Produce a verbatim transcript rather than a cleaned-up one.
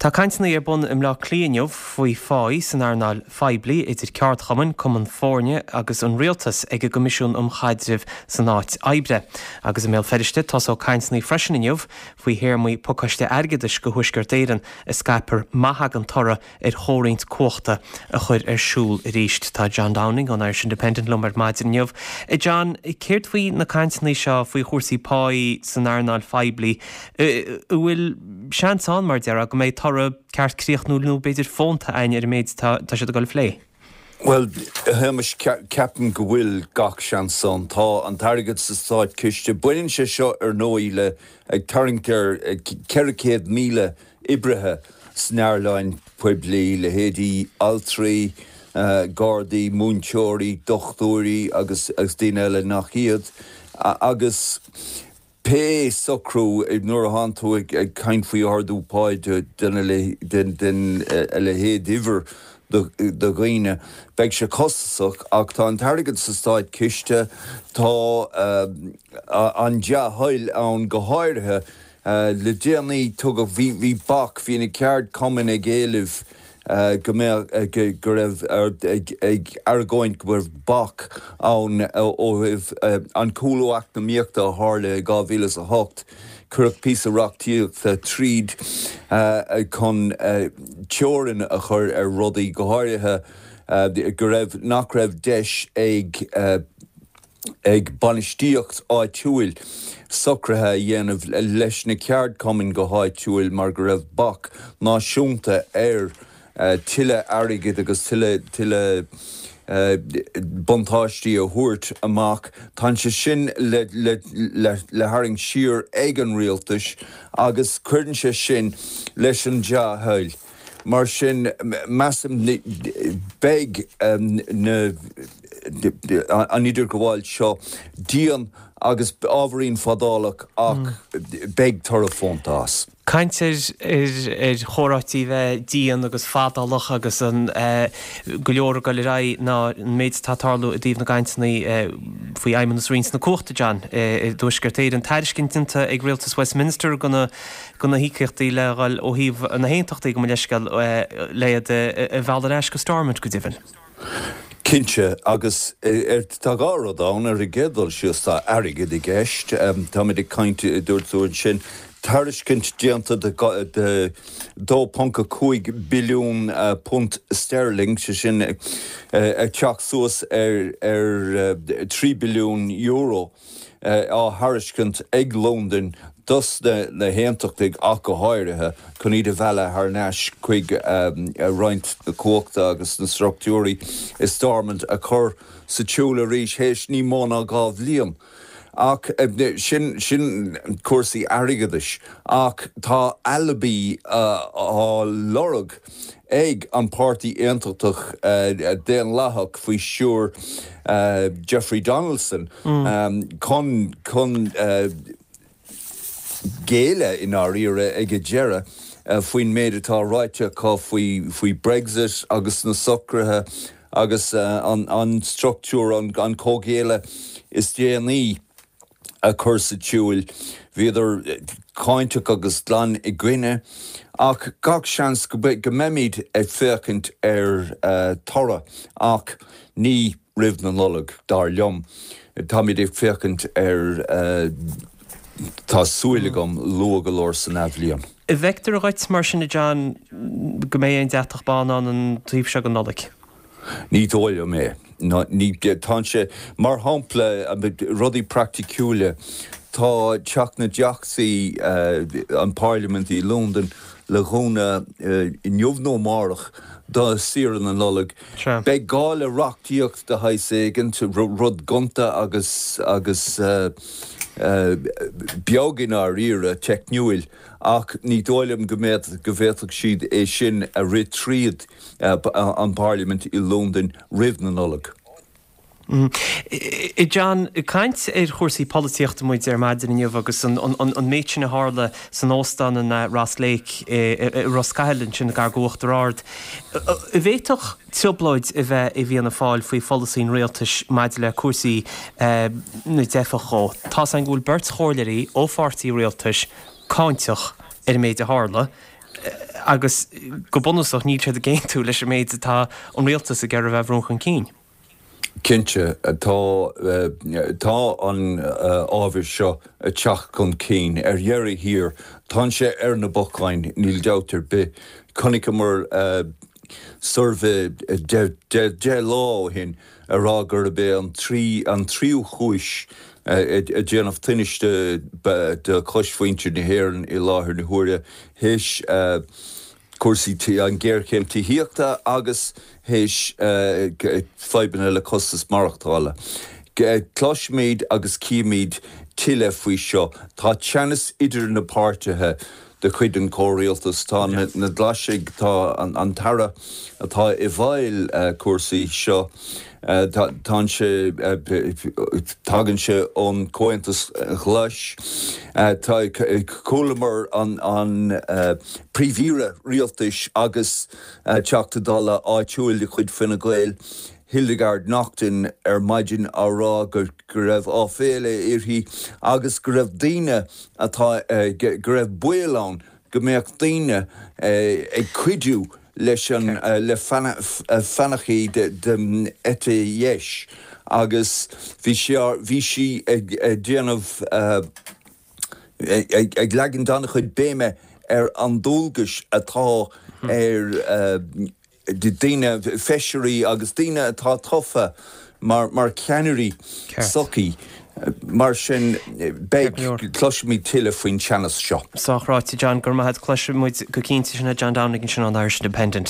Tá cainteanna ar bun i mBleá Cliath inniu faoi pháí san earnáil phoiblí idir ceardchumainn, cumainn foirne agus an rialtas ag an gCoimisiún um Chaidreamh san Áit Oibre. Agus i mBéal Feirste tosóidh cainteanna freisin inniu faoi théarmaí pacáiste airgeadais do Thuaisceart Éireann a scaipfear má thagann toradh ar chomhroinnt cumhachta a chur ar siúl arís. Tá John Downing ón Irish Independent liom ar maidin inniu. John, céard faoi na cainteanna seo faoi chúrsaí páí san earnáil phoiblí an bhfuil seans ann mar deir go mbeidh toradh ceart críochnúil nó b'fhéidir fónta ann ar an méid tá siad ag dul a phlé. Well Shéamais ceapaim go bhfuil gach seans ann tá an t-airgead sa státchiste. Baineann sé seo ar ndóigh le ag tarraingt ar ceithre chéad míle oibrithe san earnáil poiblí, leithéidí altraí, gardaí, múinteoirí, dochtúirí agus agus daoine eile nach iad agus pé socrú nuair atánn tú ag caint faoi ardú pá den a leithéid uimhir de dhaoine, beidh sé costasach ach tá an t-airgead sa státchiste, tá an dea-thoil ann go háirithe le déanaí tugadh bhí bhí bac, bhí na ceardchumainn ag éileamh go mbeadh go raibh ag argóint go raibh bac ann ó thaobh an cúlú eacnamaíochta a tharla i dhá mhíle is a hocht. Cuireadh píosa reachtaíochta tríd chun teorainn a chur ar rudaí, go háirithe go raibh nach raibh deis ag ag bainistíocht áitiúil socruithe a dhéanamh leis na ceardchumainn go háitiúil mar go raibh bac náisiúnta ar tuilleadh airgid agus tuilleadh tuilleadh buntáistí a thabhairt amach. Tá sé sin le le le le tharraingt siar ag an rialtas agus cuireann sé sin leis an dea-thoil. Mar sin measaim beidh na an idirghabháil seo dian agus ábhairín fadálach ach beidh toradh fónta as. Caint ar ar chomhráití bheith dian agus fadálach agus an go leor ag dul ar aghaidh ná an méid atá ag tarlú i dtaobh na gcainteanna faoi fheidhmeannas roinnt na cumhachta, John, i dTuaisceart Éireann. Tairiscint déanta ag rialtas Westminster do na do na híocaíochtaí le dhul ó thaobh na haontachtaí gabh mo leithscéal le iad a mhealladh ar ais go Stormont go deimhin. Cinnte, agus tá dhá rud ann, ar an gcéad dul síos tá airgead i gceist, táimid ag caint, dúirt tú ansin, tairiscint déanta de dó ponc a cúig billiún punt sterling, sé sin ag teacht suas ar ar trí billiún euro, á thairiscint ag Londain dos na hAontachtaigh ach go háirithe, chun iad a mhealladh thar n-ais chuig roinnt na cumhachta agus na struchtúirí i Stormont a chur sa tsiúl arís théis ní mó ná dhá bhliain. Ach sin sin cúrsaí airgeadais. Ach tá alibi á lorg ag an Páirtí Aontachtach Daonlathach faoi stiúir Jeffrey Donaldson chun chun géilleadh i ndáiríre ag an deireadh faoin méid atá ráite acu faoi faoi Brexit agus na socruithe agus an an struchtúr an comhghéilleadh is déanaí a chur sa tsiúl. Bhíodar cáinteach agus glan i gcoinne, ach gach seans go mbeimid ag féachaint ar toradh, ach ní roimh na Nollag, dar liom. Táimid ag féachaint ar, tá súil agam, luath go leor san athbhliain. An bhfeictear dhuit, mar sin, a John, go mbeidh aon deatach bán ann an taobh seo den Nollaig? Ní dóigh liom é. Ní, tá sé, mar shampla, rudaí praiticiúla, tá Teach na dTeachtaí, an Parlaimint i Londain, le dhúnadh inniu nó amárach do saoire na Nollag. Beidh gá le reachtaíocht de shaghas éigin, rud gonta agus agus beag i ndáiríre, teicniúil, ach ní dóigh liom go mbeadh, go bhféadfadh siad é sin a rith tríd an bParlaimint i Londain roimh na Nollag. John, ag caint ar chúrsaí polaitíochta muid ar maidin inniu agus an méid sin a tharla san óstán in Ross Lake i Ros Cathail ansin gar d'Uachtar Ard. An bhféadfadh trioblóid a bheith i bhFianna Fáil faoi pholasaí an rialtais maidir le cúrsaí na dteifeach dhó. Tá's againn go bhfuil beirt chomhairleoirí ó pháirtí rialtais cáinteach ar an méid a tharla. agus go bunúsach níl siad ag aontú leis an méid atá an rialtas ag iarraidh a bhrú chun cinn. Cinnte tá tá an ábhar seo ag teacht chun cinn ar dheireadh thiar tá sé ar na bacáin níl dabht ar bith chonaiceamar suirbhé deich lá ó shin ag rá gurb é an trí an tríú cúis ag déanamh tinnis de chosmhuintir na hÉireann i láthair na huaire théis cúrsaí an ghéarchéim tithíochta agus théis fadhbanna le costas maireachtála. Cloisfimid agus cífimid tuilleadh faoi seo. Tá teannas idir na páirtithe de chuid an chomhrialtais. Tá na Glaisigh tá an tAire atá i bhfeighil cúrsaí seo tá sé tagann sé ón Comhaontas Glas. Tá chualamar an an príomh-aire rialtais agus Teachta Dála áitiúil de chuid Fine Gael. Hildegarde Naughton ar maidin á rá go go raibh áiféala uirthi agus go raibh daoine atá go raibh baol ann go mbeadh daoine ag cuidiú leis an le fathanachaí den eite dheis agus bhí sé bhí sí ag déanamh ag leagan an-chuid béime ar an dualgas atá ar daoine feisirí agus daoine atá tofa mar mar ceannairí sochaí. Mar sin beidh cloisfimid tuilleadh faoin teannas seo. Sách ráite John gur maith cloisfimid go cinnte sin John Downing sin an Irish Independent.